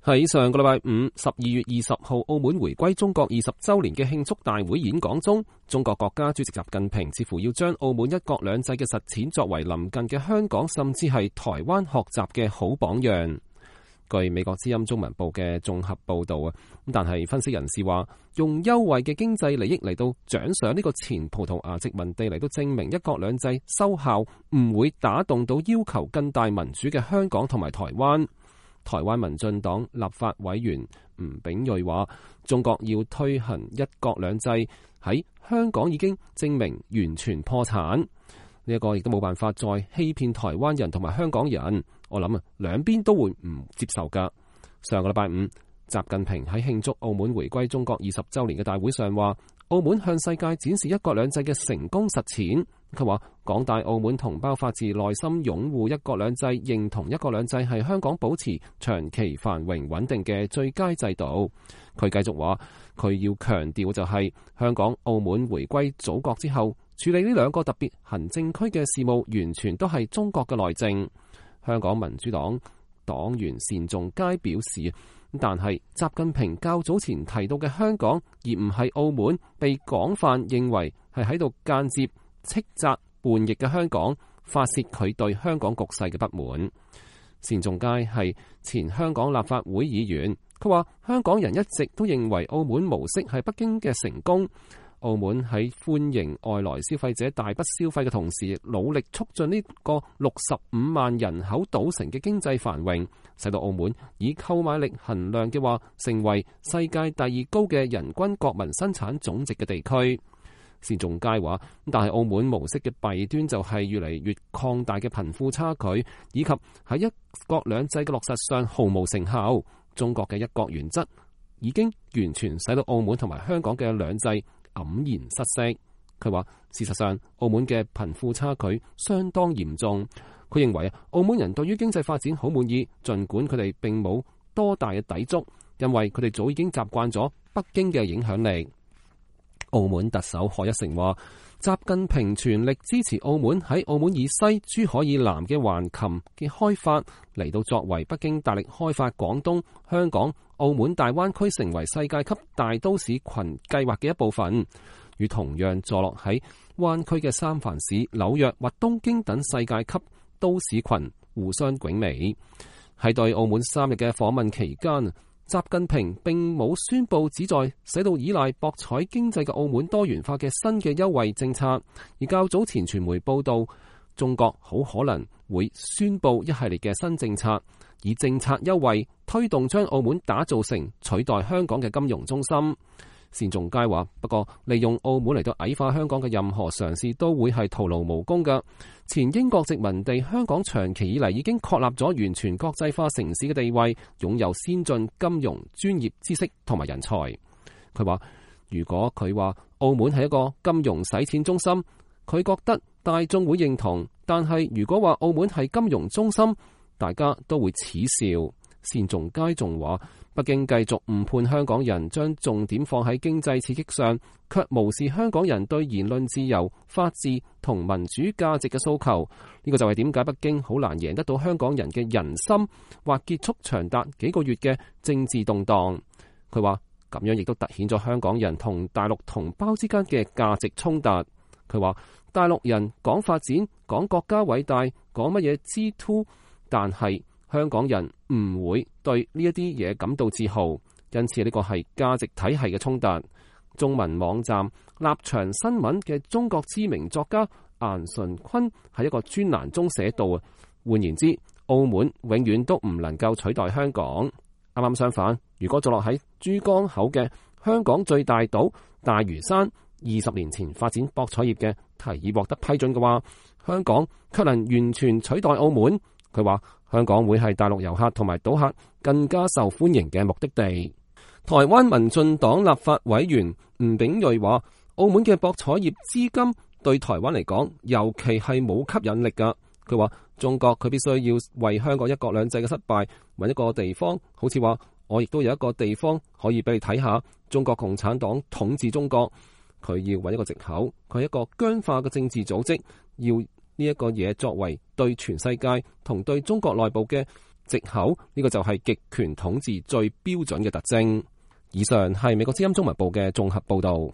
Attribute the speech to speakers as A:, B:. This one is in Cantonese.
A: 喺上個禮拜五12月20號，澳門回歸中國20週年嘅慶祝大會演講中，中國國家主席習近平似乎要將澳門一國兩制嘅實踐作為鄰近嘅香港甚至係台灣學習嘅好榜樣。據美國之音中文報嘅綜合報導，但係分析人士話，用優惠嘅經濟利益嚟到獎賞呢個前葡萄牙殖民地嚟到證明一國兩制收效，唔會打動到要求更大民主嘅香港同埋台灣。台灣民進黨立法委員吳秉叡話，中國要推行一國兩制喺香港已經證明完全破產，呢一個亦都冇辦法再欺騙台灣人同埋香港人。我諗兩邊都會唔接受噶。上個禮拜五，習近平喺慶祝澳門回歸中國20週年嘅大會上話，澳門向世界展示一國兩制嘅成功實踐。佢話廣大澳門同胞發自內心擁護一國兩制，認同一國兩制係香港保持長期繁榮穩定嘅最佳制度。佢繼續話，佢要強調就係香港、澳門回歸祖國之後，處理呢兩個特別行政區嘅事務，完全都係中國嘅內政。香港民主黨黨員單仲偕表示，但係習近平較早前提到嘅香港，而唔係澳門，被廣泛認為係喺度間接斥責叛逆嘅香港，發洩佢對香港局勢嘅不滿。單仲偕係前香港立法會議員，佢話香港人一直都認為澳門模式係北京嘅成功。澳門喺歡迎外來消費者大筆消費嘅同時，努力促進呢個65萬人口組成嘅經濟繁榮，使到澳門以購買力衡量嘅話，成為世界第2高嘅人均國民生產總值嘅地區。單仲偕話，但係澳門模式嘅弊端就係越嚟越擴大嘅貧富差距，以及喺一國兩制嘅落實上毫無成效。中國嘅一國原則已經完全使到澳門同埋香港嘅兩制黯然失色。佢話事實上澳門嘅貧富差距相當嚴重。佢認為澳門人對於經濟發展好滿意，盡管佢哋並冇多大嘅抵觸，因為佢哋早已經習慣咗北京嘅影響力。澳門特首賀一誠話，習近平全力支持澳門喺澳門以西、珠海以南嘅橫琴嘅開發，嚟到作為北京大力開發廣東、香港、澳門大灣區成為世界級大都市群計劃嘅一部分，與同樣坐落喺灣區嘅三藩市、紐約或東京等世界級都市群互相媲美。喺對澳門3日嘅訪問期間，習近平並冇宣布旨在使到依賴博彩經濟嘅澳門多元化嘅新嘅優惠政策，而較早前傳媒報道，中國好可能會宣布一系列嘅新政策，以政策優惠推動將澳門打造成取代香港嘅金融中心。單仲偕話，不過利用澳門嚟到矮化香港嘅任何嘗試都會係徒勞無功嘅。前英國殖民地香港長期以嚟已經確立咗完全國際化城市嘅地位，擁有先進金融專業知識同埋人才。佢話如果佢話澳門係一個金融洗錢中心，佢覺得大眾會認同，但係如果話澳門係金融中心，大家都會恥笑。單仲偕仲話，北京繼續誤判香港人，將重點放喺經濟刺激上，卻無視香港人對言論自由、法治同民主價值嘅訴求。呢個就係點解北京好難贏得到香港人嘅人心，或結束長達幾個月嘅政治動盪。佢話咁樣亦都凸顯咗香港人同大陸同胞之間嘅價值衝突。佢話大陸人講發展、講國家偉大、講乜嘢G2，但係香港人唔會對呢一啲嘢感到自豪，因此呢個係價值體系嘅衝突。中文網站立場新聞嘅中國知名作家顏純坤喺一個專欄中寫道，換言之，澳門永遠都唔能夠取代香港。啱啱相反，如果坐落喺珠江口嘅香港最大島大嶼山20年前發展博彩業嘅提議獲得批准嘅話，香港卻能完全取代澳門。佢話香港會係大陸遊客同埋賭客更加受歡迎嘅目的地。台灣民進黨立法委員吳秉叡話，澳門嘅博彩業資金對台灣嚟講，尤其係冇吸引力㗎。佢話中國佢必須要為香港一國兩制嘅失敗揾一個地方，好似話我亦都有一個地方可以俾你睇下，中國共產黨統治中國。佢要揾一個藉口，佢係一個僵化嘅政治組織，要呢一個嘢作為對全世界同對中國內部嘅藉口，呢個就係極權統治最標準嘅特徵。以上係美國之音中文部嘅綜合報道。